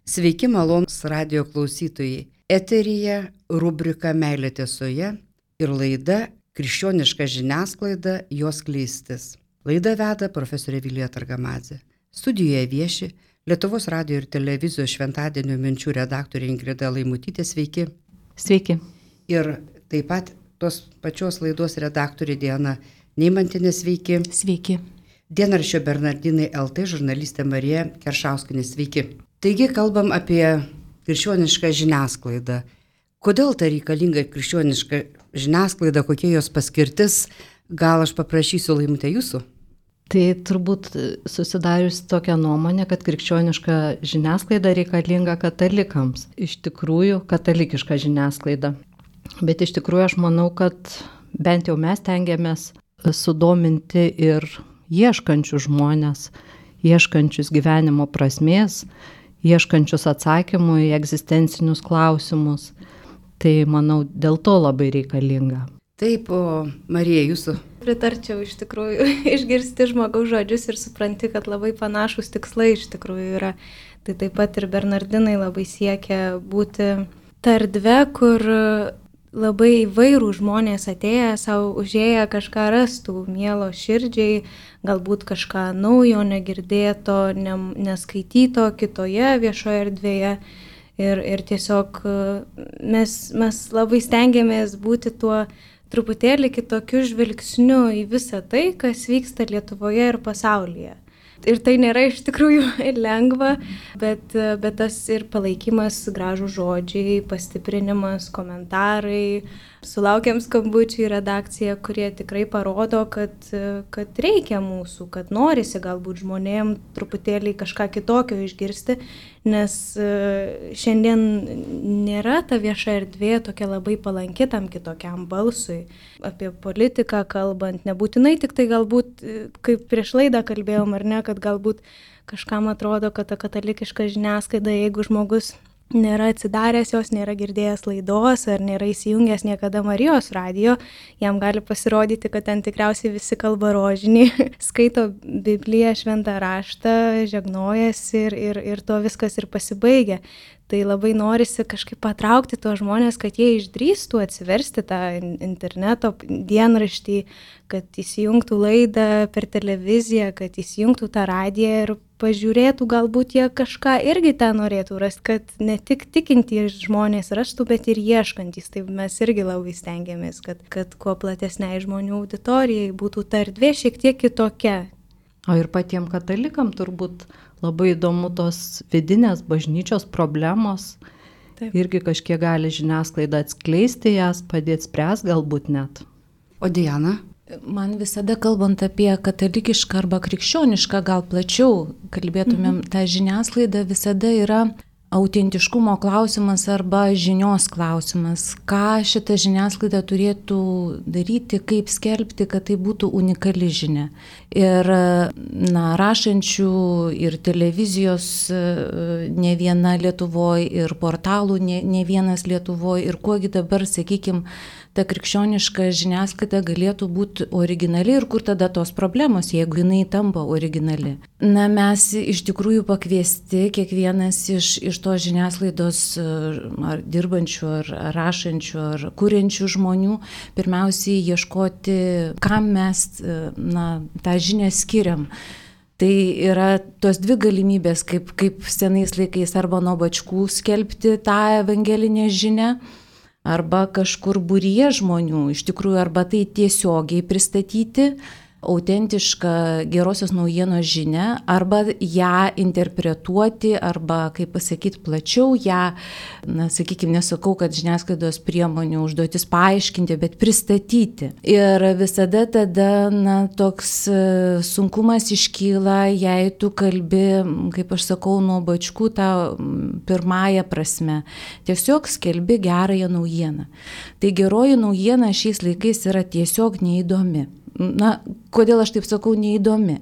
Sveiki, malonūs radio klausytojai. Eteryje rubrika Meilė tiesoje ir laida Krikščioniška žiniasklaida, jos skleistis. Laidą veda profesorė Vilija Targamadzė. Studijoje vieši Lietuvos radio ir televizijos šventadienio minčių redaktorė Ingrida Laimutytė. Sveiki. Sveiki. Ir taip pat tos pačios laidos redaktorė Diana Neimantinė. Sveiki. Sveiki. Dienraščio Bernardinai LT žurnalistė Marija Keršauskienė. Sveiki. Taigi kalbam apie krikščionišką žiniasklaidą. Kodėl ta reikalinga krikščioniška žiniasklaida, kokie jos paskirtis? Gal aš paprašysiu, Laimute, jūsų? Tai turbūt susidarius tokią nuomonę, kad krikščioniška žiniasklaida reikalinga katalikams. Iš tikrųjų, katalikiška žiniasklaida. Bet iš tikrųjų aš manau, kad bent jau mes tengiamės sudominti ir ieškančius žmonės, ieškančius gyvenimo prasmės, ieškančius atsakymų į egzistencinius klausimus. Tai, manau, dėl to labai reikalinga. Taip, o Marija, jūsų? Pritarčiau iš tikrųjų, išgirsti žmogaus žodžius ir supranti, kad labai panašus tikslai iš tikrųjų yra. Tai taip pat ir Bernardinai labai siekia būti ta erdvė, kur labai įvairų žmonės atėję, savo užėję kažką rastų, mielo širdžiai, galbūt kažką naujo, negirdėto, neskaityto kitoje viešoje erdvėje. Ir tiesiog mes labai stengiamės būti tuo truputėlį kitokiu žvilgsniu į visą tai, kas vyksta Lietuvoje ir pasaulyje. Ir tai nėra iš tikrųjų lengva, bet tas ir palaikymas, gražų žodžiai, pastiprinimas, komentarai. Sulaukiam skambučių į redakciją, kurie tikrai parodo, kad reikia mūsų, kad norisi galbūt žmonėm truputėlį kažką kitokio išgirsti, nes šiandien nėra ta vieša erdvė tokia labai palanki tam kitokiam balsui. Apie politiką kalbant, nebūtinai tik tai galbūt, kaip prieš laidą kalbėjom ar ne, kad galbūt kažkam atrodo, kad ta katalikiška žiniasklaida, jeigu žmogus nėra atsidaręs jos, nėra girdėjęs laidos ar nėra įsijungęs niekada Marijos radijo, jam gali pasirodyti, kad ten tikriausiai visi kalba rožinį, skaito Bibliją, šventą raštą, žegnojasi ir to viskas ir pasibaigia. Tai labai norisi kažkaip patraukti tuos žmonės, kad jie išdrįstų atsiversti tą interneto dienraštį, kad įsijungtų laidą per televiziją, kad įsijungtų tą radiją ir pažiūrėtų, galbūt jie kažką irgi ten norėtų rasti, kad ne tik tikintys žmonės rastų, bet ir ieškantys. Tai mes irgi labai stengiamės, kad kuo platesniai žmonių auditorijai būtų ta erdvė šiek tiek kitokia. O ir patiems katalikam turbūt labai įdomu tos vidinės bažnyčios problemos. Taip. Irgi kažkiek gali žiniasklaida atskleisti jas, padėti spręsti galbūt net. O Diana? Man visada kalbant apie katalikišką arba krikščionišką, gal plačiau kalbėtumėm, ta žiniasklaida visada yra autentiškumo klausimas arba žinios klausimas. Ką šita žiniasklaida turėtų daryti, kaip skelbti, kad tai būtų unikali žinia. Ir rašančių ir televizijos ne viena Lietuvoje, ir portalų ne vienas Lietuvoje, ir kuogi dabar, sakykime, ta krikščioniška žiniasklaida galėtų būti originali ir kur tada tos problemos, jeigu jinai tampa originali. Mes iš tikrųjų pakviesti, kiekvienas iš tos žiniasklaidos ar dirbančių, ar rašančių, ar kuriančių žmonių, pirmiausiai ieškoti, kam mes tą žinią skiriam. Tai yra tos dvi galimybės, kaip senais laikais arba nuo bačkų skelbti tą evangelinę žinią, arba kažkur būryje žmonių, iš tikrųjų, arba tai tiesiogiai pristatyti autentišką gerosios naujienos žinią, arba ją interpretuoti, arba, kaip pasakyti, plačiau ją, sakykime, nesakau, kad žiniasklaidos priemonių užduotis paaiškinti, bet pristatyti. Ir visada tada, toks sunkumas iškyla, jei tu kalbi, kaip aš sakau, nuo bačkų tą pirmąją prasme. Tiesiog skelbi gerąją naujieną. Tai geroji naujiena šiais laikais yra tiesiog neįdomi. kodėl aš taip sakau, neįdomi.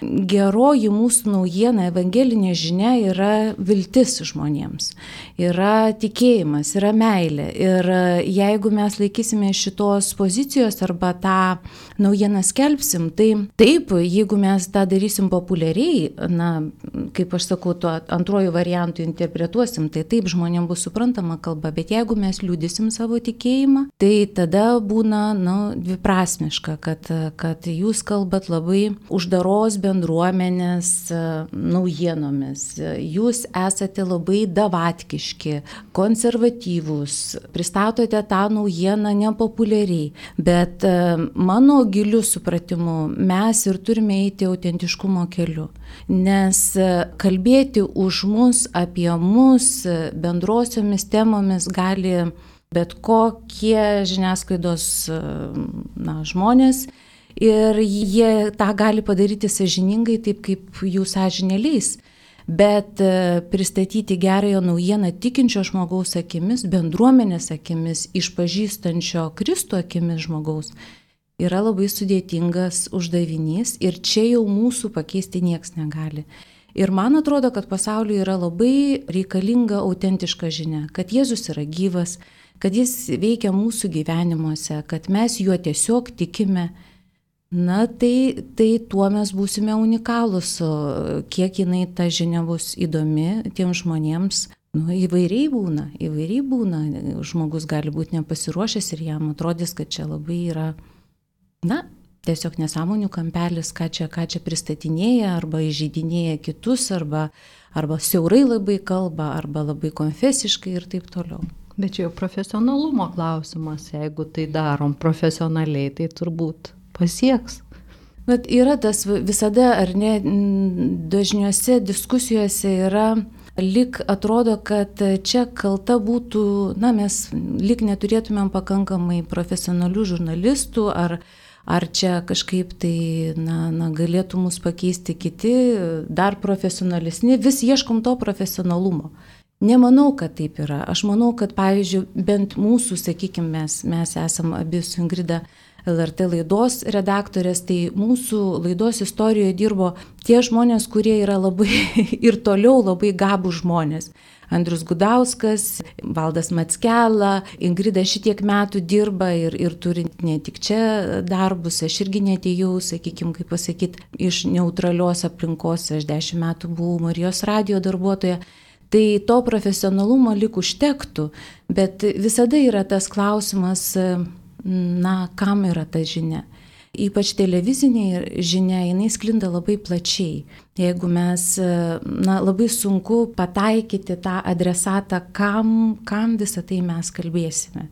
Geroji mūsų naujiena, evangelinė žinia yra viltis žmonėms, yra tikėjimas, yra meilė. Ir jeigu mes laikysime šitos pozicijos arba tą naujieną skelbsim, tai taip, jeigu mes tą darysim populiariai, kaip aš sakau, tuo antruoju variantu interpretuosim, tai taip žmonėms bus suprantama kalba, bet jeigu mes liudysim savo tikėjimą, tai tada būna dviprasmiška, kad jūs kalbat labai uždaros bendruomenės naujienomis. Jūs esate labai davatkiški, konservatyvūs, pristatote tą naujieną nepopuliariai, bet mano giliu supratimu mes ir turime eiti autentiškumo keliu, nes kalbėti už mus, apie mus bendrosiomis temomis gali bet kokie žiniasklaidos žmonės. Ir jie tą gali padaryti sąžiningai, taip kaip jų sąžinė leis. Bet pristatyti gerąją naujieną tikinčio žmogaus akimis, bendruomenės akimis, išpažįstančio Kristų akimis žmogaus yra labai sudėtingas uždavinys ir čia jau mūsų pakeisti nieks negali. Ir man atrodo, kad pasauliui yra labai reikalinga autentiška žinia, kad Jėzus yra gyvas, kad jis veikia mūsų gyvenimuose, kad mes juo tiesiog tikime. Tai tuo mes būsime unikalūs, kiek jinai ta žinia bus įdomi tiems žmonėms. Įvairiai būna. Žmogus gali būti nepasiruošęs ir jam atrodys, kad čia labai yra, tiesiog nesąmonių kampelis, ką čia pristatinėja, arba įžeidinėja kitus, arba siaurai labai kalba, arba labai konfesiškai ir taip toliau. Bet čia jau profesionalumo klausimas, jeigu tai darom profesionaliai, tai turbūt pasieks. Bet yra tas visada, ar ne, dažniuose diskusijose yra, lyg atrodo, kad čia kalta būtų, mes lyg neturėtumėm pakankamai profesionalių žurnalistų, ar čia kažkaip tai, galėtų mus pakeisti kiti, dar profesionalesni, vis ieškom to profesionalumo. Nemanau, kad taip yra. Aš manau, kad pavyzdžiui, bent mūsų, sakykime, mes esam abi su Ingrida LRT laidos redaktorės, tai mūsų laidos istorijoje dirbo tie žmonės, kurie yra labai ir toliau labai gabų žmonės. Andrius Gudauskas, Valdas Mackela, Ingrida šitiek metų dirba ir turi ne tik čia darbus, aš irgi neatėjau, sakykime, kaip pasakyti, iš neutralios aplinkos, aš 10 metų buvau Marijos radijo darbuotoja. Tai to profesionalumo lyg užtektų, bet visada yra tas klausimas, kam yra ta žinia. Ypač televizinė žinia, jinai sklinda labai plačiai. Jeigu mes, labai sunku pataikyti tą adresatą, kam visą tai mes kalbėsime.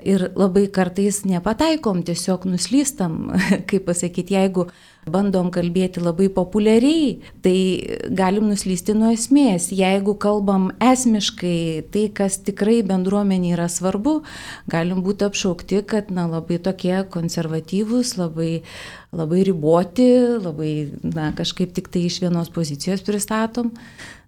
Ir labai kartais nepataikom, tiesiog nuslystam, kaip pasakyti, jeigu bandom kalbėti labai populiariai, tai galim nuslysti nuo esmės. Jeigu kalbam esmiškai, tai kas tikrai bendruomenė yra svarbu, galim būti apšaukti, kad labai tokie konservatyvūs, labai riboti, labai kažkaip tik tai iš vienos pozicijos pristatom.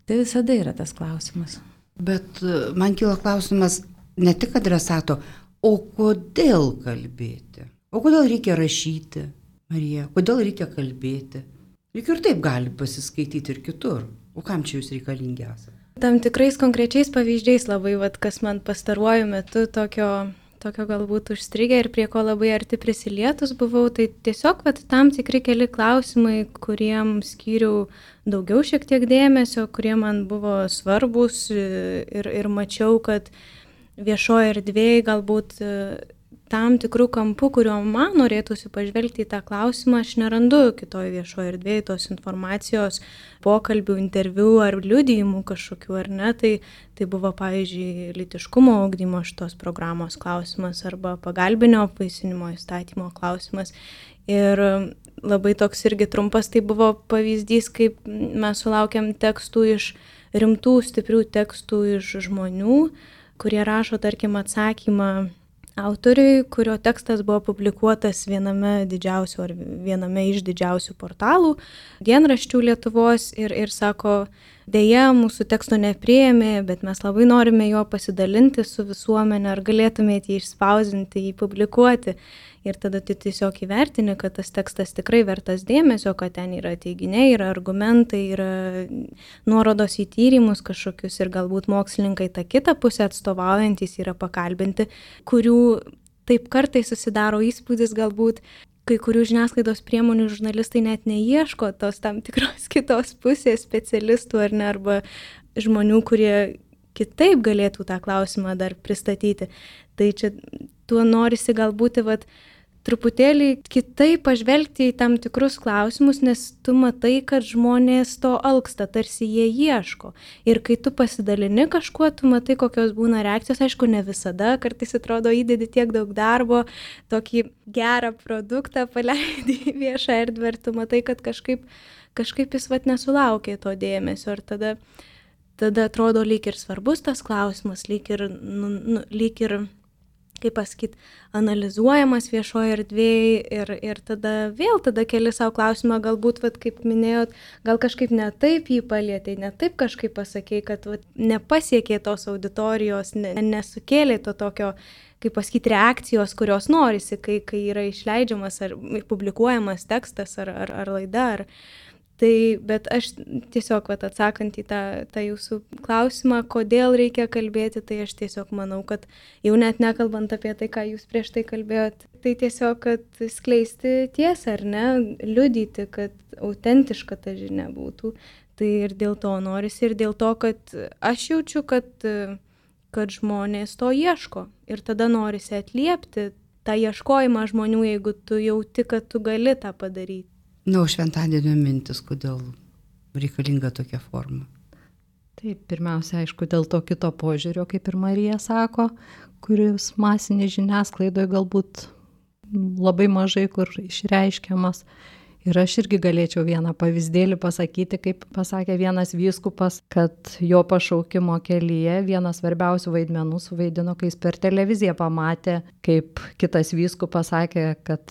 Tai visada yra tas klausimas. Bet man kyla klausimas ne tik adresato, o kodėl kalbėti? O kodėl reikia rašyti, Marija? Kodėl reikia kalbėti? Juk ir taip gali pasiskaityti ir kitur. O kam čia jūs reikalingi esate? Tam tikrais konkrečiais pavyzdžiais labai, kas man pastaruoju metu tokio galbūt užstrigę ir prie ko labai arti prisilietus buvau, tai tiesiog tam tikri keli klausimai, kuriem skyriau daugiau šiek tiek dėmesio, kurie man buvo svarbus ir mačiau, kad viešoje erdvėje galbūt tam tikrų kampų, kuriuo man norėtųsi pažvelgti į tą klausimą, aš nerandu kitoje viešoje erdvėje tos informacijos, pokalbių, interviu ar liudijimų kažkokių, ar ne. Tai buvo, pavyzdžiui, lytiškumo ugdymo šitos programos klausimas arba pagalbinio apvaisinimo įstatymo klausimas. Ir labai toks irgi trumpas tai buvo pavyzdys, kaip mes sulaukėm tekstų rimtų, stiprių tekstų iš žmonių, kurie rašo, tarkim, atsakymą autoriui, kurio tekstas buvo publikuotas viename iš didžiausių portalų, dienraščių Lietuvos ir sako, dėja mūsų teksto nepriėmė, bet mes labai norime juo pasidalinti su visuomenė, ar galėtumėte jį išspausinti, jį publikuoti. Ir tada tu tiesiog įvertini, kad tas tekstas tikrai vertas dėmesio, kad ten yra teiginiai, yra argumentai, yra nuorodos į tyrimus kažkokius ir galbūt mokslininkai tą kitą pusę atstovaujantis yra pakalbinti, kurių taip kartais susidaro įspūdis galbūt, kai kurių žiniasklaidos priemonių žurnalistai net neieško tos tam tikros kitos pusės specialistų ar ne, arba žmonių, kurie kitaip galėtų tą klausimą dar pristatyti. Tai čia tuo norisi galbūt truputėlį kitaip pažvelgti į tam tikrus klausimus, nes tu matai, kad žmonės to alksta, tarsi jie ieško. Ir kai tu pasidalini kažkuo, tu matai, kokios būna reakcijos, aišku, ne visada, kartais atrodo įdedi tiek daug darbo, tokį gerą produktą paleidi į viešą erdvę ir tu matai, kad kažkaip jis nesulaukė to dėmesio ir tada atrodo lyg ir svarbus tas klausimas, lyg ir kaip pasakyti, analizuojamas viešoje erdvėje ir tada keli savo klausimą, galbūt, kaip minėjot, gal kažkaip ne taip jį palietė, ne taip kažkaip pasakė, kad nepasiekė tos auditorijos, nesukėlė to tokio, kaip pasakyti, reakcijos, kurios norisi, kai yra išleidžiamas ar publikuojamas tekstas ar laida. Tai, bet aš tiesiog atsakant į tą jūsų klausimą, kodėl reikia kalbėti, tai aš tiesiog manau, kad jau net nekalbant apie tai, ką jūs prieš tai kalbėjot, tai tiesiog, kad skleisti tiesą, ar ne, liudyti, kad autentiška ta žinia būtų. Tai ir dėl to norisi, ir dėl to, kad aš jaučiu, kad žmonės to ieško. Ir tada norisi atliepti tą ieškojimą žmonių, jeigu tu jauti, kad tu gali tą padaryti. Šventadienio mintis, kodėl reikalinga tokia forma? Taip, pirmiausia, aišku, dėl to kito požiūrio, kaip ir Marija sako, kuris masinė žiniasklaidoje galbūt labai mažai kur išreiškiamas. Ir aš irgi galėčiau vieną pavyzdėlį pasakyti, kaip pasakė vienas vyskupas, kad jo pašaukimo kelyje vienas svarbiausių vaidmenų suvaidino, kai jis per televiziją pamatė, kaip kitas vyskupas sakė, kad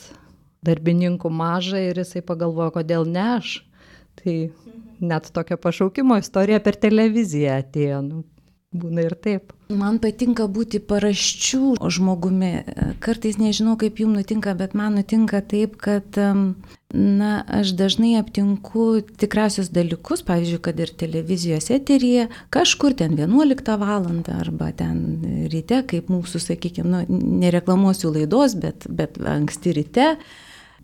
darbininkų maža ir jisai pagalvojo, kodėl ne aš. Tai net tokia pašaukimo istorija per televiziją atėjo. Būna ir taip. Man patinka būti paraščių žmogumi. Kartais nežinau, kaip jums nutinka, bet man nutinka taip, kad aš dažnai aptinku tikrasius dalykus, pavyzdžiui, kad ir televizijos eteryje, kažkur ten 11 valandą arba ten ryte, kaip mūsų, sakykime, nereklamuosiu laidos, bet anksti ryte,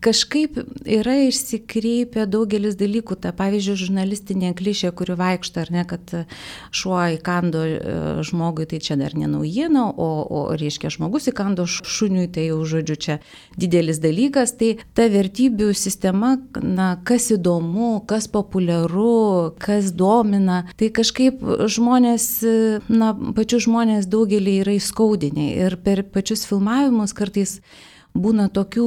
kažkaip yra išsikreipę daugelis dalykų. Ta, pavyzdžiui, žurnalistinė klišė, kuri vaikšto, ar ne, kad šuo įkando žmogui, tai čia dar ne naujiena, o reiškia žmogus įkando šuniui, tai jau žodžiu čia didelis dalykas. Tai ta vertybių sistema, kas įdomu, kas populiaru, kas domina, tai kažkaip žmonės, pačių žmonės daugelį yra įskaudinę ir per pačius filmavimus kartais būna tokių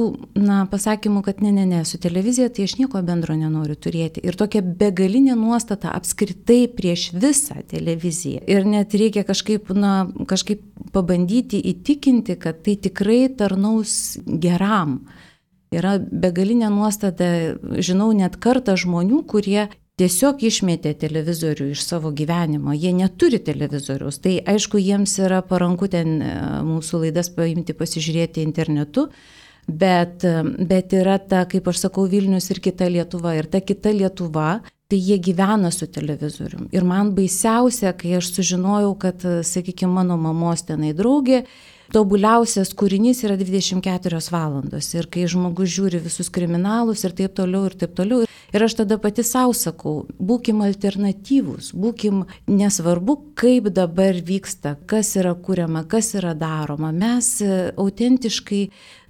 pasakymų, kad ne, su televizija tai aš nieko bendro nenoriu turėti. Ir tokia begalinė nuostata apskritai prieš visą televiziją. Ir net reikia kažkaip pabandyti įtikinti, kad tai tikrai tarnaus geram. Yra begalinė nuostata, žinau, net kartą žmonių, kurie tiesiog išmetė televizorių iš savo gyvenimo. Jie neturi televizoriaus. Tai aišku, jiems yra paranku ten mūsų laidas paimti, pasižiūrėti internetu, bet yra ta, kaip aš sakau, Vilnius ir kita Lietuva. Ir ta kita Lietuva, tai jie gyvena su televizorium. Ir man baisiausia, kai aš sužinojau, kad, sakykime, mano mamos tenai draugė, tobuliausias kūrinys yra 24 valandos. Ir kai žmogus žiūri visus kriminalus ir taip toliau. Ir aš tada pati savo sakau, būkim alternatyvūs, būkim nesvarbu, kaip dabar vyksta, kas yra kuriama, kas yra daroma. Mes autentiškai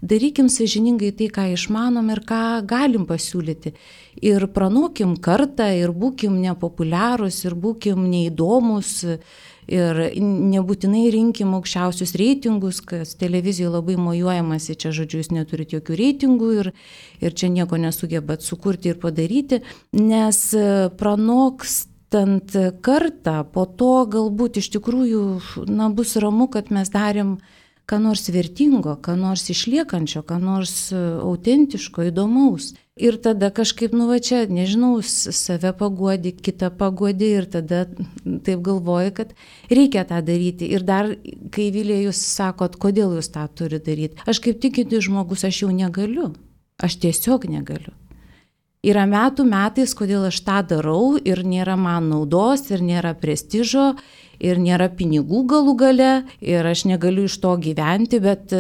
darykim sąžiningai tai, ką išmanom ir ką galim pasiūlyti. Ir pranokim kartą, ir būkim nepopuliarūs, ir būkim neįdomus. Ir nebūtinai rinkim aukščiausius reitingus, kas televizijoje labai mojuojamasi, čia žodžiu, jūs neturite jokių reitingų ir čia nieko nesugebat sukurti ir padaryti, nes pranokstant kartą, po to galbūt iš tikrųjų bus ramu, kad mes darėm ką nors vertingo, ką nors išliekančio, ką nors autentiško, įdomaus. Ir tada kažkaip, čia, nežinau, save paguodi, kitą paguodi ir tada taip galvoju, kad reikia tą daryti. Ir dar, kai Vilija, jūs sakot, kodėl jūs tą turi daryti, aš kaip tikintis žmogus, aš jau negaliu. Aš tiesiog negaliu. Yra metais, kodėl aš tą darau ir nėra man naudos, ir nėra prestižo, ir nėra pinigų galų gale, ir aš negaliu iš to gyventi, bet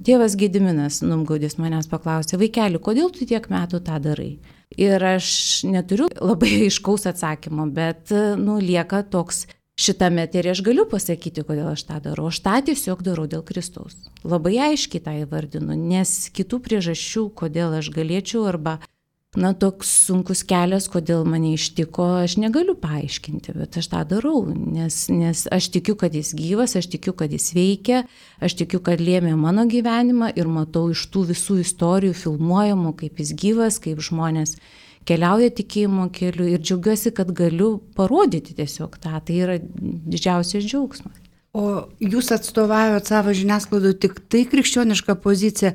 tėvas Gediminas Numgaudis manęs paklausė, vaikeli, kodėl tu tiek metų tą darai? Ir aš neturiu labai aiškaus atsakymo, bet lieka toks šitame eteryje aš galiu pasakyti, kodėl aš tą darau. Aš tą tiesiog darau dėl Kristaus. Labai aiškiai tą įvardinu, nes kitų priežasčių, kodėl aš galėčiau arba toks sunkus kelias, kodėl mane ištiko, aš negaliu paaiškinti, bet aš tą darau, nes aš tikiu, kad jis gyvas, aš tikiu, kad jis veikia, aš tikiu, kad lėmė mano gyvenimą ir matau iš tų visų istorijų filmuojamų, kaip jis gyvas, kaip žmonės keliauja tikėjimo keliu ir džiaugiuosi, kad galiu parodyti tiesiog tą, tai yra didžiausias džiaugsmas. O jūs atstovaujat savo žiniasklaidų tik tai krikščionišką poziciją,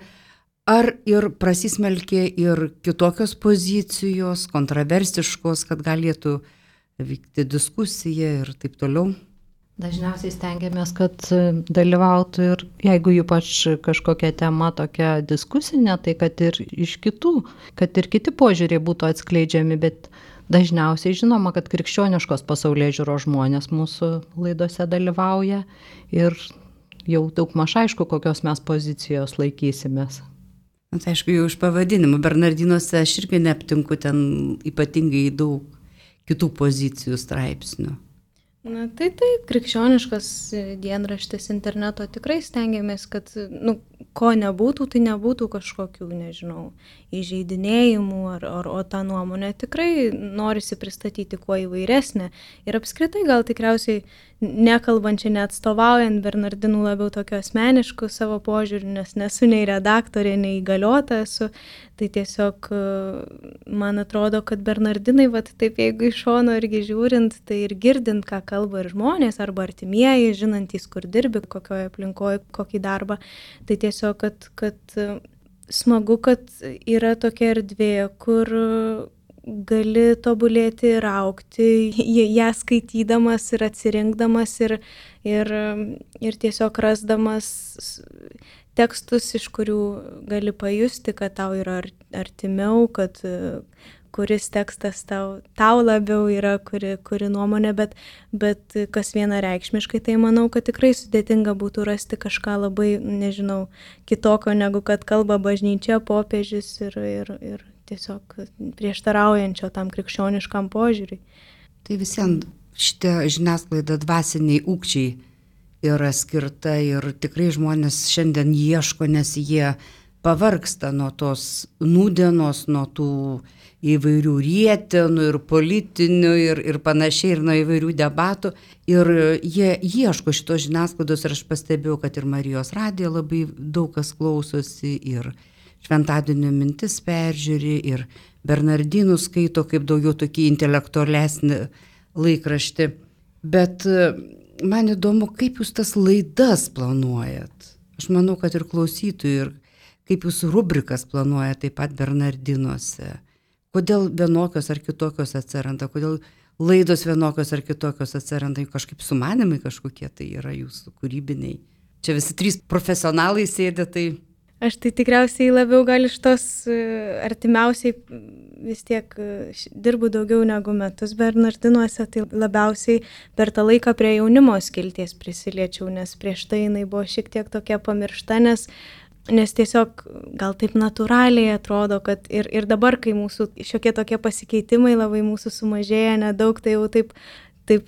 ar ir prasismelkė ir kitokios pozicijos, kontroversiškos, kad galėtų vykti diskusija ir taip toliau? Dažniausiai stengiamės, kad dalyvautų ir jeigu ypač kažkokia tema tokia diskusinė, tai kad ir iš kitų, kad ir kiti požiūriai būtų atskleidžiami, bet dažniausiai žinoma, kad krikščioniškos pasaulėžiūros žmonės mūsų laidose dalyvauja ir jau daugmaž aišku, kokios mes pozicijos laikysimės. Tai aišku, jau iš pavadinimų Bernardinuose aš irgi neaptinku ten ypatingai daug kitų pozicijų straipsnių. Tai krikščioniškas dienraštis interneto tikrai stengiamės, kad ko nebūtų, tai nebūtų kažkokių, nežinau, įžeidinėjimų, o tą nuomonę tikrai norisi pristatyti kuo įvairesnę. Ir apskritai gal tikriausiai nekalbančiai, neatstovaujant Bernardinų labiau tokio asmeniškų savo požiūrį, nes nesu nei redaktorė, nei įgaliota esu, tai tiesiog man atrodo, kad Bernardinai, taip jeigu iš šono irgi žiūrint, tai ir girdint, ką kalba ir žmonės, arba artimieji, žinantys, kur dirbi, kokioje aplinkoje, kokį darbą, tai tiesiog, kad smagu, kad yra tokia erdvė, kur gali tobulėti ir augti, ją skaitydamas ir atsirinkdamas ir tiesiog rasdamas tekstus, iš kurių gali pajusti, kad tau yra artimiau, kad kuris tekstas tau labiau yra, kuri nuomonė, bet kas vienareikšmiškai, tai manau, kad tikrai sudėtinga būtų rasti kažką labai, nežinau, kitokio, negu kad kalba bažnyčia, popiežius ir tiesiog prieštaraujančio tam krikščioniškam požiūriui. Tai visiems šitie žiniasklaida dvasiniai ūkčiai yra skirta ir tikrai žmonės šiandien ieško, nes jie pavargsta nuo tos nūdienos, nuo tų įvairių rietenų ir politinių ir panašiai, ir nuo įvairių debatų. Ir jie ieško šitos žiniasklaidos ir aš pastebėjau, kad ir Marijos radijo labai daug kas klausosi ir Šventadienio mintis peržiūri ir Bernardinų skaito kaip daugiau tokį intelektualesnį laikraštį. Bet man įdomu, kaip jūs tas laidas planuojat. Aš manau, kad ir klausytojų, ir kaip jūs rubrikas planuojat taip pat Bernardinuose. Kodėl vienokios ar kitokios atsiranda, kodėl laidos vienokios ar kitokios atsiranda, kažkaip sumanimai kažkokie tai yra jūsų kūrybiniai. Čia visi trys profesionalai sėdė, tai... Aš tai tikriausiai labiau gal iš tos artimiausiai vis tiek dirbu daugiau negu metus Bernardinuose, tai labiausiai per tą laiką prie jaunimo skilties prisiliečiau, nes prieš tai jinai buvo šiek tiek tokia pamiršta, nes tiesiog gal taip natūraliai atrodo, kad ir dabar, kai mūsų šiokie tokie pasikeitimai labai mūsų sumažėja nedaug, tai jau taip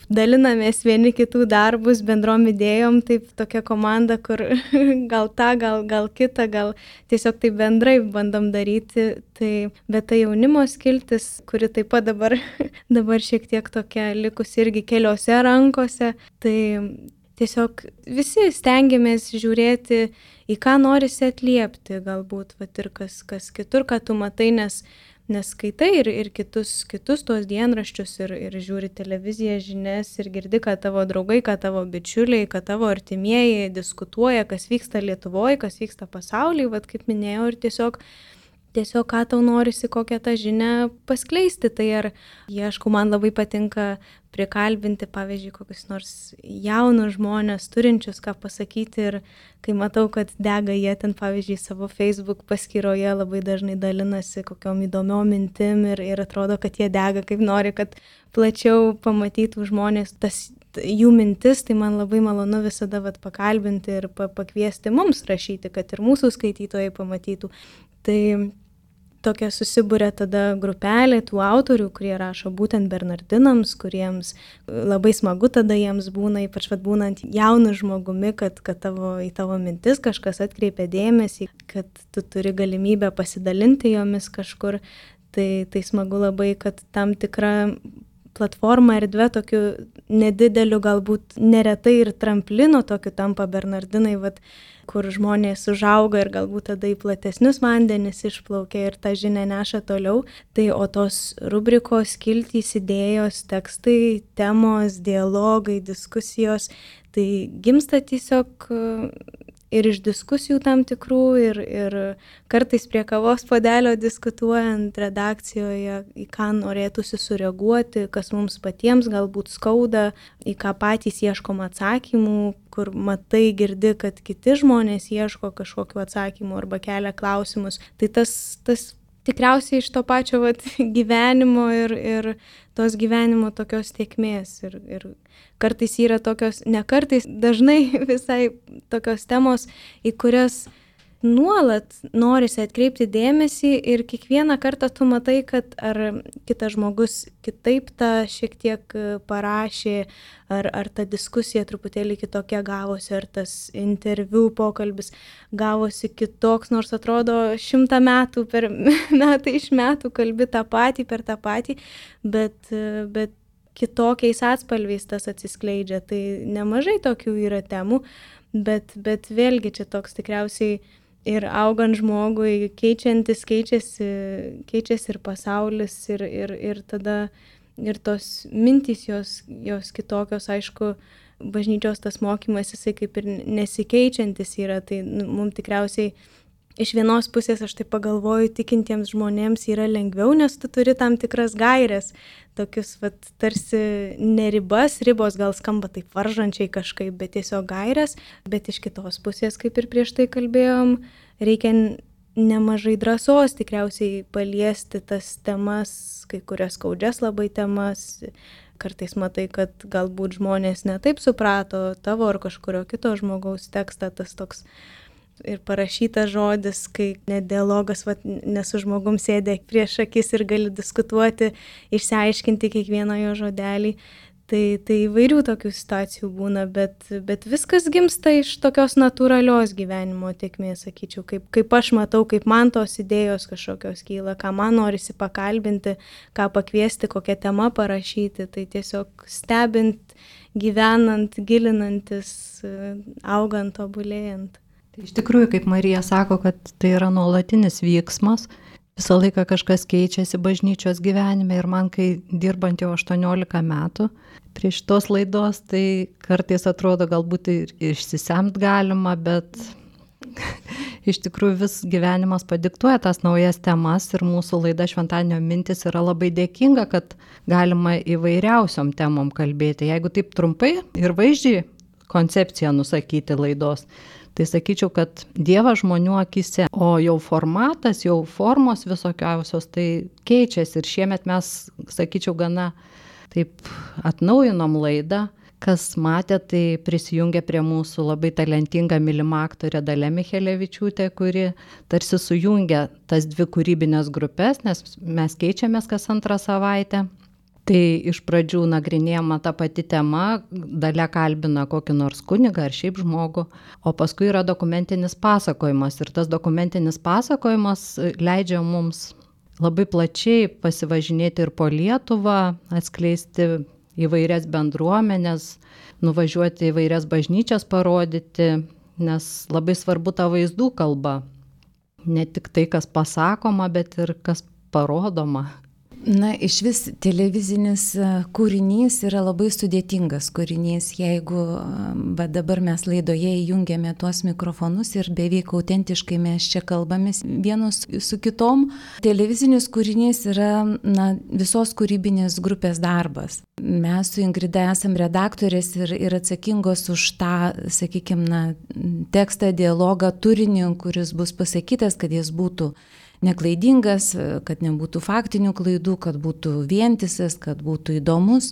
dalinamės vieni kitų darbus bendrom idėjom, taip tokia komanda, kur gal tą, gal kitą, gal tiesiog taip bendrai bandom daryti. Bet tai jaunimo skiltis, kuri taip pat dabar šiek tiek tokia likusi irgi keliose rankose, tai tiesiog visi stengiamės žiūrėti, į ką norisi atliepti, galbūt ir kas kitur, ką tu matai, nes skaitai ir kitus tuos dienraščius ir žiūri televiziją, žinias ir girdi, kad tavo draugai, kad tavo bičiuliai, kad tavo artimieji diskutuoja, kas vyksta Lietuvoje, kas vyksta pasaulyje, kaip minėjau, ir tiesiog ką tau norisi, kokią tą žinią paskleisti. Tai ar ieškau, man labai patinka prikalbinti, pavyzdžiui, kokius nors jaunus žmonės turinčius ką pasakyti ir kai matau, kad dega jie ten, pavyzdžiui, savo Facebook paskyroje labai dažnai dalinasi kokiom įdomiom mintim ir atrodo, kad jie dega kaip nori, kad plačiau pamatytų žmonės tas jų mintis, tai man labai malonu visada pakalbinti ir pakviesti mums rašyti, kad ir mūsų skaitytojai pamatytų. Tai tokia susibūrė tada grupelė tų autorių, kurie rašo būtent bernardinams, kuriems labai smagu tada jiems būna, ypač būnant jaunu žmogumi, kad į tavo mintis kažkas atkreipia dėmesį, kad tu turi galimybę pasidalinti jomis kažkur. Tai smagu labai, kad tam tikra platforma erdvė tokiu nedideliu, galbūt neretai ir tramplino tokiu tampa bernardinai, kur žmonės užauga ir galbūt tada į platesnius vandenis išplaukia ir tą žinią neša toliau. Tai o tos rubrikos, skiltys, idėjos, tekstai, temos, dialogai, diskusijos, tai gimsta tiesiog ir iš diskusijų tam tikrų ir kartais prie kavos puodelio diskutuojant redakcijoje, į ką norėtųsi sureaguoti, kas mums patiems galbūt skauda, į ką patys ieškom atsakymų, kur matai, girdi, kad kiti žmonės ieško kažkokiu atsakymu arba kelia klausimus. Tai tas tikriausiai iš to pačio gyvenimo ir tos gyvenimo tokios tėkmės. Ir kartais yra tokios, ne kartais, dažnai visai tokios temos, į kurias nuolat norisi atkreipti dėmesį ir kiekvieną kartą tu matai, kad ar kitas žmogus kitaip tą šiek tiek parašė, ar ta diskusija truputėlį kitokia gavosi, ar tas interviu pokalbis gavosi kitoks, nors atrodo 100 metų per metai iš metų kalbi tą patį per tą patį, bet kitokiais atspalviais tas atsiskleidžia. Tai nemažai tokių yra temų, bet vėlgi čia toks tikriausiai ir augant žmogui keičiasi ir pasaulis ir tada ir tos mintys jos kitokios, aišku, bažnyčios tas mokymas jisai kaip ir nesikeičiantis yra, tai mums tikriausiai iš vienos pusės aš tai pagalvoju, tikintiems žmonėms yra lengviau, nes tu turi tam tikras gaires, tokius tarsi ne ribos gal skamba taip varžančiai kažkaip, bet tiesiog gaires, bet iš kitos pusės, kaip ir prieš tai kalbėjom, reikia nemažai drąsos tikriausiai paliesti tas temas, kai kurias skaudžias labai temas. Kartais matai, kad galbūt žmonės netaip suprato tavo ar kažkurio kito žmogaus tekstą, tas toks ir parašytas žodis, kai net dialogas, nesu žmogum sėdė prieš akis ir gali diskutuoti, išsiaiškinti kiekvieną jo žodelį. Tai įvairių tokių situacijų būna, bet viskas gimsta iš tokios natūralios gyvenimo tėkmės, sakyčiau, kaip aš matau, kaip man tos idėjos kažkokios kyla, ką man norisi pakalbinti, ką pakviesti, kokią temą parašyti, tai tiesiog stebint, gyvenant, gilinantis, augant, tobulėjant. Iš tikrųjų, kaip Marija sako, kad tai yra nuolatinis vyksmas, visą laiką kažkas keičiasi bažnyčios gyvenime ir man, kai dirbant jau 18 metų prie šitos laidos, tai kartais atrodo galbūt ir išsisemt galima, bet iš tikrųjų vis gyvenimas padiktuoja tas naujas temas ir mūsų laida Šventadienio mintys yra labai dėkinga, kad galima įvairiausiom temom kalbėti. Jeigu taip trumpai ir vaizdžiai koncepciją nusakyti laidos, tai sakyčiau, kad Dievas žmonių akise, o jau formatas, jau formos visokiausios, tai keičiasi ir šiemet mes, sakyčiau, gana taip atnaujinom laidą. Kas matė, tai prisijungė prie mūsų labai talentinga mylima aktorė Dalia Michelevičiūtė, kuri tarsi sujungia tas dvi kūrybinės grupės, nes mes keičiamės kas antrą savaitę. Tai iš pradžių nagrinėjama ta pati tema, Dalia kalbina kokį nors kunigą ar šiaip žmogų, o paskui yra dokumentinis pasakojimas. Ir tas dokumentinis pasakojimas leidžia mums labai plačiai pasivažinėti ir po Lietuvą, atskleisti įvairias bendruomenės, nuvažiuoti įvairias bažnyčias parodyti, nes labai svarbu ta vaizdų kalba. Ne tik tai, kas pasakoma, bet ir kas parodoma. Na, iš vis televizinis kūrinys yra labai sudėtingas kūrinys, jeigu dabar mes laidoje įjungiame tuos mikrofonus ir beveik autentiškai mes čia kalbamės vienos su kitom. Televizinis kūrinys yra visos kūrybinės grupės darbas. Mes su Ingrida esam redaktorės ir atsakingos už tą, sakykime, tekstą, dialogą, turinį, kuris bus pasakytas, kad jis būtų neklaidingas, kad nebūtų faktinių klaidų, kad būtų vientisas, kad būtų įdomus.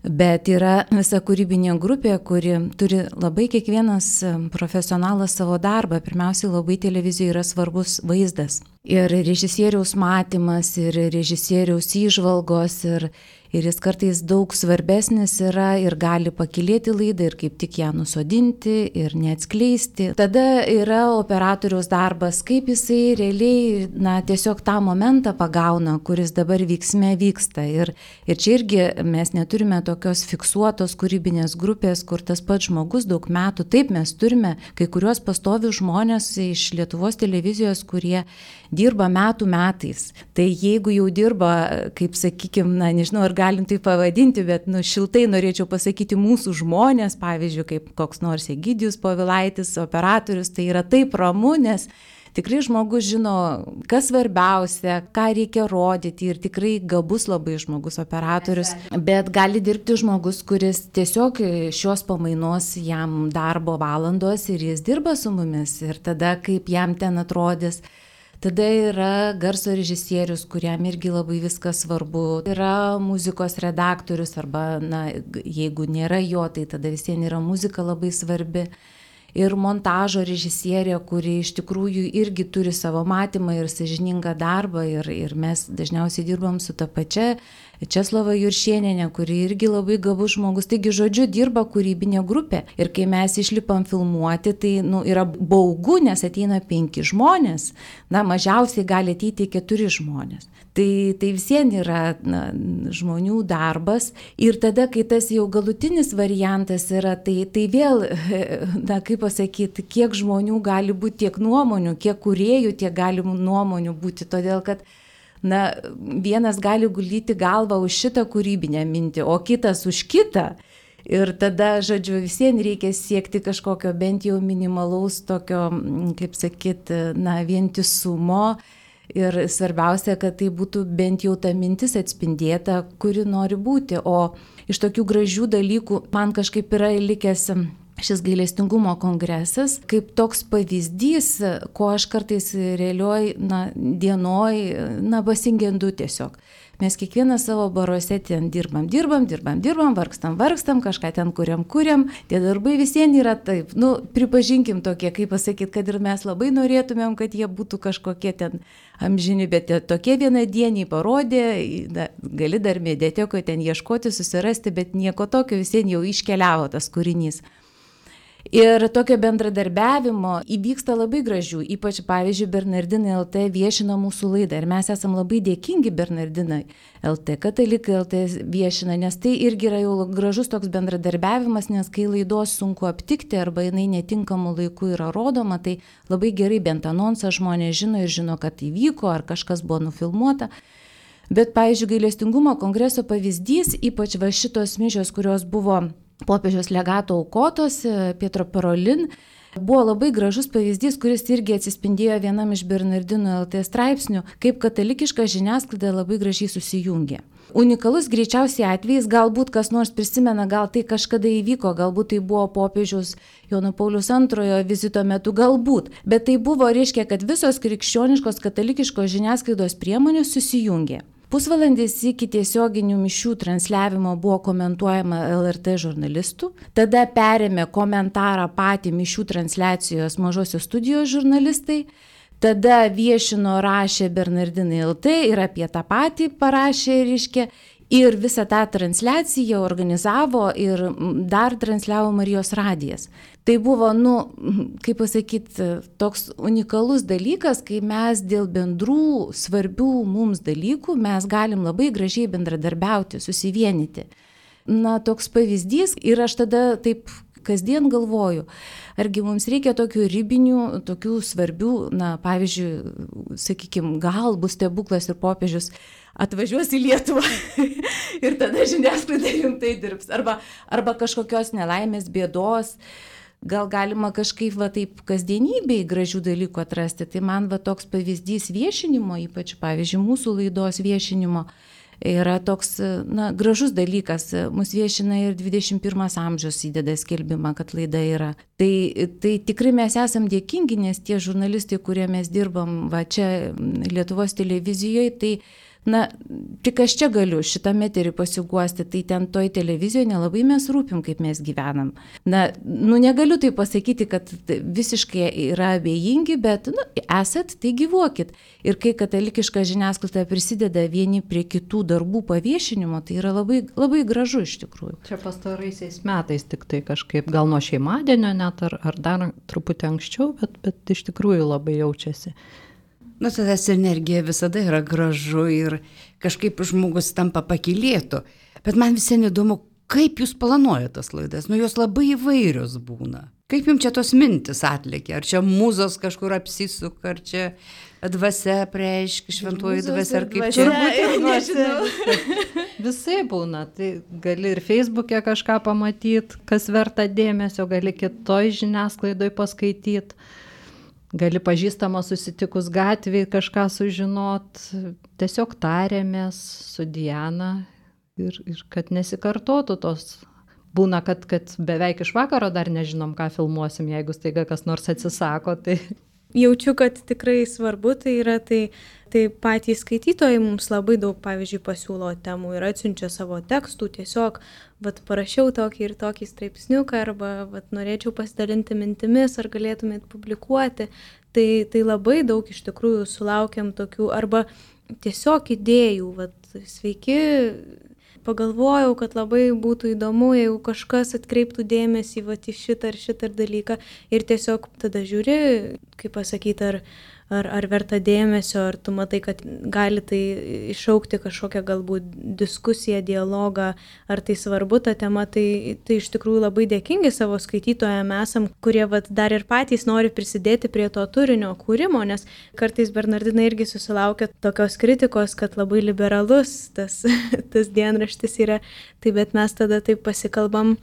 Bet yra visa kūrybinė grupė, kuri turi labai kiekvienas profesionalas savo darbą. Pirmiausiai labai televizijoje yra svarbus vaizdas. Ir režisieriaus matymas, ir režisieriaus įžvalgos, ir jis kartais daug svarbesnis yra ir gali pakilėti laidą ir kaip tik ją nusodinti ir neatskleisti. Tada yra operatoriaus darbas, kaip jisai realiai tiesiog tą momentą pagauna, kuris dabar vyksme vyksta. Ir čia irgi mes neturime tokios fiksuotos kūrybinės grupės, kur tas pats žmogus daug metų. Taip, mes turime kai kuriuos pastovius žmonės iš Lietuvos televizijos, kurie dirba metų metais. Tai jeigu jau dirba, kaip sakykime, nežinau, ar galim tai pavadinti, bet šiltai norėčiau pasakyti mūsų žmonės, pavyzdžiui, kaip koks nors Egidijus Povilaitis, operatorius, tai yra taip ramu, nes tikrai žmogus žino, kas svarbiausia, ką reikia rodyti ir tikrai gabus labai žmogus operatorius, bet gali dirbti žmogus, kuris tiesiog šios pamainos jam darbo valandos ir jis dirba su mumis ir tada kaip jam ten atrodys. Tada yra garso režisierius, kuriam irgi labai viskas svarbu. Yra muzikos redaktorius arba, jeigu nėra jo, tai tada visiems yra muzika labai svarbi. Ir montažo režisierė, kuri iš tikrųjų irgi turi savo matymą ir sąžiningą darbą. Ir mes dažniausiai dirbam su ta pačia Česlova Juršienė, kuri irgi labai gabus žmogus. Taigi, žodžiu, dirba kūrybinė grupė. Ir kai mes išlipam filmuoti, tai yra baugu, nes ateina 5 žmonės. Mažiausiai gali ateiti 4 žmonės. Tai visiems yra žmonių darbas. Ir tada, kai tas jau galutinis variantas yra, tai vėl, kaip pasakyti, kiek žmonių gali būti, tiek nuomonių, kiek kūrėjų, tiek gali nuomonių būti. Todėl, kad vienas gali guldyti galvą už šitą kūrybinę mintį, o kitas už kitą. Ir tada, žodžiu, visiems reikia siekti kažkokio bent jau minimalaus tokio, kaip sakyti, vientisumo. Ir svarbiausia, kad tai būtų bent jau ta mintis atspindėta, kuri nori būti. O iš tokių gražių dalykų man kažkaip yra likęs šis gailestingumo kongresas, kaip toks pavyzdys, ko aš kartais realioj dienoj pasigendu tiesiog. Mes kiekvieną savo baruose ten dirbam, vargstam, kažką ten kuriam. Tie darbai visiems yra taip, pripažinkim tokie, kaip pasakyti, kad ir mes labai norėtumėm, kad jie būtų kažkokie ten amžini, bet tokie vienadieniai parodė, gali dar mediatekoje ten ieškoti, susirasti, bet nieko tokio, visiems jau iškeliavo tas kūrinys. Ir tokio bendradarbiavimo įvyksta labai gražių, ypač, pavyzdžiui, Bernardinai LT viešina mūsų laidą ir mes esam labai dėkingi Bernardinai LT, Katalikai LT viešina, nes tai irgi yra jau gražus toks bendradarbiavimas, nes kai laidos sunku aptikti arba jinai netinkamu laiku yra rodoma, tai labai gerai bent anonsą žmonės žino ir žino, kad įvyko ar kažkas buvo nufilmuota. Bet, pavyzdžiui, gailestingumo kongreso pavyzdys, ypač šitos mišios, kurios buvo popiežiaus legato aukotos, Pietro Parolin, buvo labai gražus pavyzdys, kuris irgi atsispindėjo vienam iš Bernardinų LT straipsnių, kaip katalikiška žiniasklaida labai gražiai susijungė. Unikalus greičiausiai atvejais, galbūt kas nors prisimena, gal tai kažkada įvyko, galbūt tai buvo popiežiaus Jono Pauliaus II vizito metu, galbūt, bet tai buvo, reiškia, kad visos krikščioniškos katalikiškos žiniasklaidos priemonės susijungė. Pusvalandis iki tiesioginių mišių transliavimo buvo komentuojama LRT žurnalistų, tada perėmė komentarą patį mišių transliacijos Mažosios studijos žurnalistai, tada viešino, rašė Bernardinai LT ir apie tą patį parašė, reiškia, ir visą tą transliaciją organizavo ir dar transliavo Marijos radijas. Tai buvo, kaip pasakyti, toks unikalus dalykas, kai mes dėl bendrų svarbių mums dalykų mes galim labai gražiai bendradarbiauti, susivienyti. Toks pavyzdys ir aš tada taip kasdien galvoju, argi mums reikia tokių ribinių, tokių svarbių, pavyzdžiui, sakykime, gal bus stebuklas ir popiežius atvažiuos į Lietuvą ir tada žiniasklaida rimtai dirbs. Arba kažkokios nelaimės, bėdos. Gal galima kažkaip taip kasdienybėj gražių dalykų atrasti. Tai man toks pavyzdys viešinimo, ypač pavyzdžiui mūsų laidos viešinimo, yra toks gražus dalykas. Mūsų viešina ir 21 amžius įdeda skelbimą, kad laida yra. Tai tikrai mes esam dėkingi, nes tie žurnalistai, kurie mes dirbam čia Lietuvos televizijoje, tai tik aš čia galiu šitame eterį pasiguosti, tai ten toj televizijoje nelabai mes rūpim, kaip mes gyvenam. Negaliu tai pasakyti, kad visiškai yra abejingi, bet esat, tai gyvuokit. Ir kai katalikiška žiniasklaida prisideda vieni prie kitų darbų paviešinimo, tai yra labai, labai gražu iš tikrųjų. Čia pastaraisiais metais tik tai kažkaip, gal nuo šeimadienio net, ar dar truputį anksčiau, bet iš tikrųjų labai jaučiasi. Tada sinergija visada yra gražu ir kažkaip žmogus tampa pakylėtu. Bet man visiems įdomu, kaip jūs planuojate tas laidas? Jos labai įvairios būna. Kaip jums čia tos mintis atlėkia? Ar čia mūzos kažkur apsisuka, ar čia dvasia preiškia, šventoji dvasia, ar kaip čia? Nežinau. Visai būna. Tai gali ir Facebook'e kažką pamatyti, kas verta dėmesio, gali kitoj žiniasklaidoj paskaityti. Gali pažįstama susitikus gatvėje kažką sužinot, tiesiog tarėmės su Diana ir kad nesikartotų tos. Būna, kad beveik iš vakaro dar nežinom, ką filmuosim, jeigu staiga kas nors atsisako. Tai... Jaučiu, kad tikrai svarbu tai yra, tai patys skaitytojai mums labai daug, pavyzdžiui, pasiūlo temų ir atsiunčia savo tekstų, tiesiog, parašiau tokį ir tokį straipsniuką, arba norėčiau pasidalinti mintimis, ar galėtumėt publikuoti. Tai labai daug iš tikrųjų sulaukiam tokių, arba tiesiog idėjų, sveiki, pagalvojau, kad labai būtų įdomu, jeigu kažkas atkreiptų dėmesį į šitą ar šitą dalyką ir tiesiog tada žiūri, kaip pasakyti, ar verta dėmesio, ar tu matai, kad gali tai iššaukti kažkokią galbūt diskusiją, dialogą, ar tai svarbu ta tema, tai iš tikrųjų labai dėkingi savo skaitytojams esam, kurie dar ir patys nori prisidėti prie to turinio kūrimo, nes kartais Bernardina irgi susilaukia tokios kritikos, kad labai liberalus tas dienraštis yra, tai bet mes tada taip pasikalbam,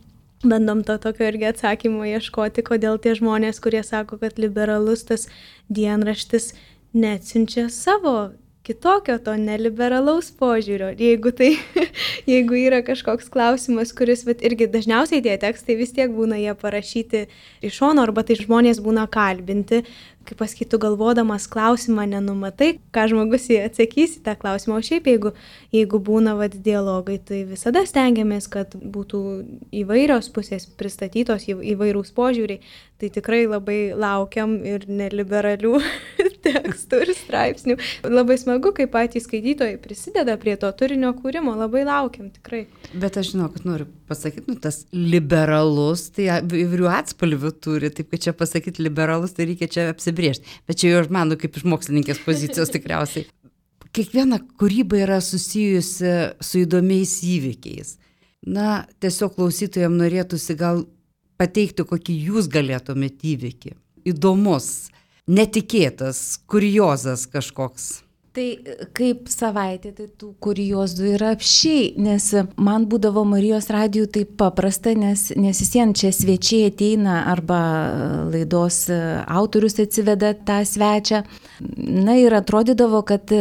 bandom to tokio irgi atsakymo ieškoti, kodėl tie žmonės, kurie sako, kad liberalus tas dienraštis neatsiunčia savo kitokio to neliberalaus požiūrio. Jeigu yra kažkoks klausimas, kuris irgi dažniausiai tie tekstai vis tiek būna jie parašyti iš šono, arba tai žmonės būna kalbinti, kaip pasakytų, galvodamas klausimą nenumatai, ką žmogus atsakys į tą klausimą. O šiaip, jeigu būna dialogai, tai visada stengiamės, kad būtų įvairios pusės pristatytos, įvairūs požiūriai. Tai tikrai labai laukiam ir neliberalių tekstų ir straipsnių. Labai smagu, kai patys skaitytojai prisideda prie to turinio kūrimo, labai laukiam tikrai. Bet aš žinau, kad noriu pasakyti, tas liberalus, tai įvairių atspalvių turi, taip kad čia pasakyti liberalus, tai reikia čia apsibrėžti. Bet čia jau aš manu kaip iš mokslininkės pozicijos tikriausiai. Kiekviena kūryba yra susijusi su įdomiais įvykiais. Tiesiog klausytojams norėtųsi gal pateikti, kokį jūs galėtumėte įvykį. Įdomus, netikėtas, kuriozas kažkoks. Tai kaip savaitė, tai tų kuriozų yra apšiai, nes man būdavo Marijos radijų taip paprasta, nes visien čia svečiai ateina arba laidos autorius atsiveda tą svečią. Ir atrodydavo, kad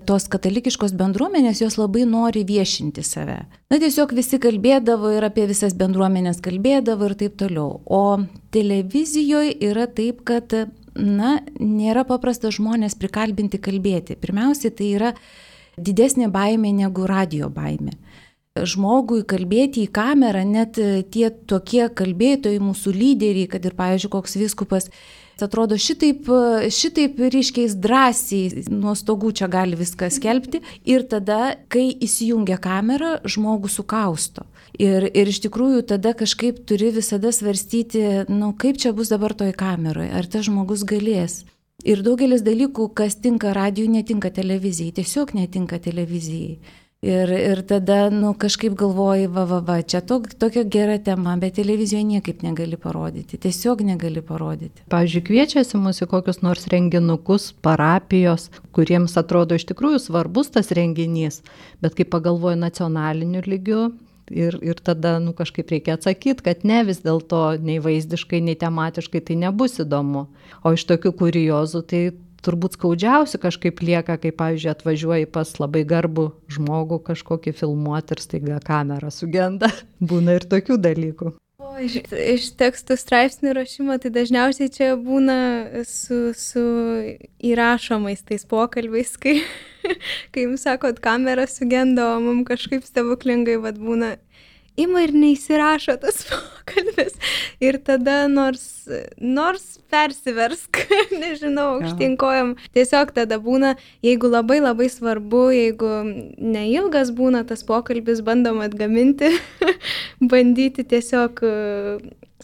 tos katalikiškos bendruomenės jos labai nori viešinti save. Tiesiog visi kalbėdavo ir apie visas bendruomenės kalbėdavo ir taip toliau. O televizijoje yra taip, kad nėra paprasta žmonės prikalbinti kalbėti. Pirmiausia, tai yra didesnė baimė negu radio baimė. Žmogui kalbėti į kamerą, net tie tokie kalbėtojai, mūsų lyderiai, kad ir, pavyzdžiui, koks vyskupas, atrodo šitaip ryškiais drąsiai nuo stogų čia gali viską skelbti. Ir tada, kai įsijungia kamera, žmogų sukausto. Ir iš tikrųjų tada kažkaip turi visada svarstyti, kaip čia bus dabar toj kameroje, ar tas žmogus galės. Ir daugelis dalykų, kas tinka radijui, netinka televizijai, tiesiog netinka televizijai. Ir tada, kažkaip galvoji, čia tokia gera tema, bet televizijoje niekaip negali parodyti, tiesiog negali parodyti. Pavyzdžiui, kviečiasi mus į kokius nors renginukus, parapijos, kuriems atrodo iš tikrųjų svarbus tas renginys, bet kai pagalvoju nacionaliniu lygiu, ir tada kažkaip reikia atsakyti, kad ne, vis dėlto nei vaizdiškai, nei tematiškai tai nebus įdomu. O iš tokių kuriozų tai turbūt skaudžiausi kažkaip lieka, kai, pavyzdžiui, atvažiuoji pas labai garbų žmogų kažkokį filmuoti ir staiga kamera sugenda. Būna ir tokių dalykų. O iš tekstų straipsnių rašymo, tai dažniausiai čia būna su įrašomais tais pokalbiais, kai jums sakot, kamera sugenda, o mums kažkaip stebuklingai būna. Ima ir neįsirašo tas pokalbis. Ir tada nors persiversk, nežinau, aukštinkojom. Tiesiog tada būna, jeigu labai labai svarbu, jeigu neilgas būna tas pokalbis, bandom atgaminti, bandyti tiesiog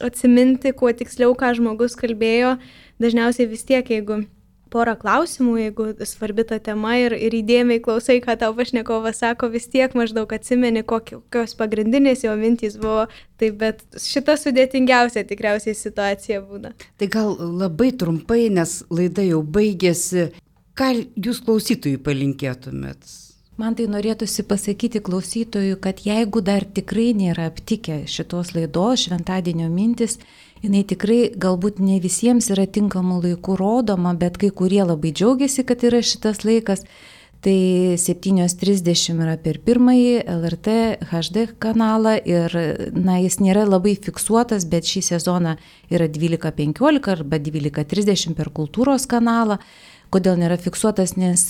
atsiminti, kuo tiksliau, ką žmogus kalbėjo. Dažniausiai vis tiek, jeigu porą klausimų, jeigu svarbi ta tema ir įdėmiai klausai, ką tau pašnekovas sako, vis tiek maždaug atsimeni, kokios pagrindinės jo mintys buvo. Taip, bet šita sudėtingiausia tikriausiai situacija būna. Tai gal labai trumpai, nes laida jau baigėsi, ką jūs klausytojui palinkėtumėt? Man tai norėtųsi pasakyti klausytojui, kad jeigu dar tikrai nėra aptikę šitos laidos Šventadienio mintis, jinai tikrai galbūt ne visiems yra tinkamų laikų rodoma, bet kai kurie labai džiaugiasi, kad yra šitas laikas. Tai 7:30 yra per pirmąjį LRT HD kanalą ir jis nėra labai fiksuotas, bet šį sezoną yra 12:15 arba 12:30 per kultūros kanalą. Kodėl nėra fiksuotas, nes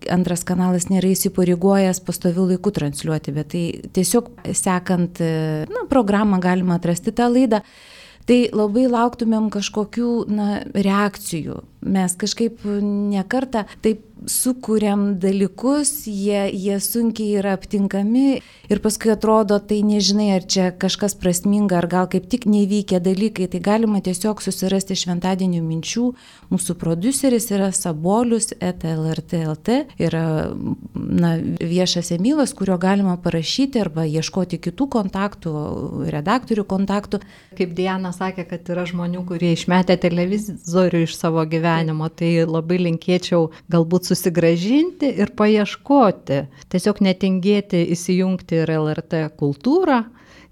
antras kanalas nėra įsipareigojęs pastoviu laiku transliuoti, bet tai tiesiog sekant programą galima atrasti tą laidą. Tai labai lauktumėm kažkokių reakcijų. Mes kažkaip nekartą taip sukūrėm dalykus, jie sunkiai yra aptinkami ir paskui atrodo, tai nežinai, ar čia kažkas prasminga, ar gal kaip tik nevykę dalykai. Tai galima tiesiog susirasti Šventadienio minčių. Mūsų prodiuseris yra sabolius@lrt.lt, yra viešas emailas, kurio galima parašyti arba ieškoti kitų kontaktų, redaktorių kontaktų. Kaip Diana sakė, kad yra žmonių, kurie išmetė televizorių iš savo gyvenimo, tai labai linkėčiau galbūt susigrąžinti ir paieškoti. Tiesiog netingėti įsijungti ir LRT kultūrą.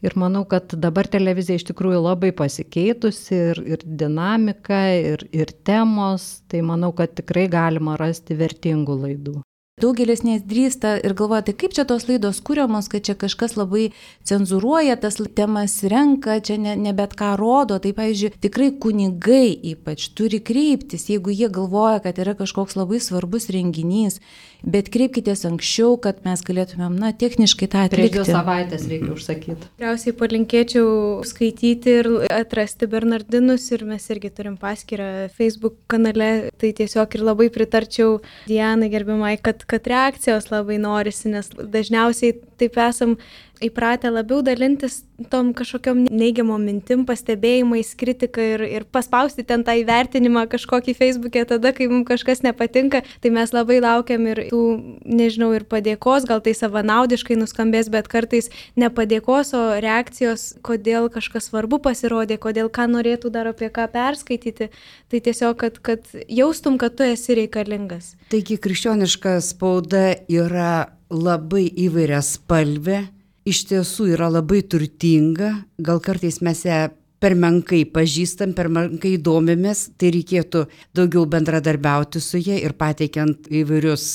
Ir manau, kad dabar televizija iš tikrųjų labai pasikeitusi ir dinamika, ir temos. Tai manau, kad tikrai galima rasti vertingų laidų. Daugelis nedrįsta ir galvoja, tai kaip čia tos laidos kuriamos, kad čia kažkas labai cenzūruoja, tas temas renka, čia ne bet ką rodo. Tai, pavyzdžiui, tikrai kunigai ypač turi kreiptis, jeigu jie galvoja, kad yra kažkoks labai svarbus renginys, bet kreipkitės anksčiau, kad mes galėtumėm, techniškai tą atlikti. Prieš 2 savaitės reikia užsakyti. Tikriausiai palinkėčiau skaityti ir atrasti Bernardinus ir mes irgi turim paskyrą Facebook kanale. Tai tiesiog ir labai pritarčiau Dianai gerbiamai, kad reakcijos labai norisi, nes dažniausiai taip esam įpratę labiau dalintis tom kažkokiom neigiamom mintim, pastebėjimais, kritika ir paspausti ten tą įvertinimą kažkokį Facebook'e tada, kai mums kažkas nepatinka, tai mes labai laukiam ir tų, nežinau, ir padėkos, gal tai savanaudiškai nuskambės, bet kartais ne padėkos, o reakcijos, kodėl kažkas svarbu pasirodė, kodėl ką norėtų dar apie ką perskaityti, tai tiesiog, kad jaustum, kad tu esi reikalingas. Taigi krikščioniška spauda yra labai įvairiaspalvė, iš tiesų yra labai turtinga, gal kartais mes ją per menkai pažįstam, per menkai domimės, tai reikėtų daugiau bendradarbiauti su ja ir pateikiant įvairius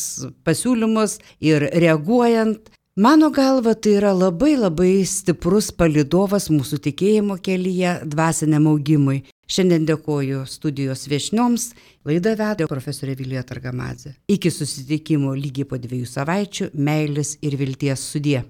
pasiūlymus ir reaguojant. Mano galva, tai yra labai labai stiprus palydovas mūsų tikėjimo kelyje dvasiniam augimui. Šiandien dėkoju studijos viešnioms, laidą vedė profesorė Vilija Targamadzė. Iki susitikimo lygiai po 2 savaičių, meilės ir vilties sudie.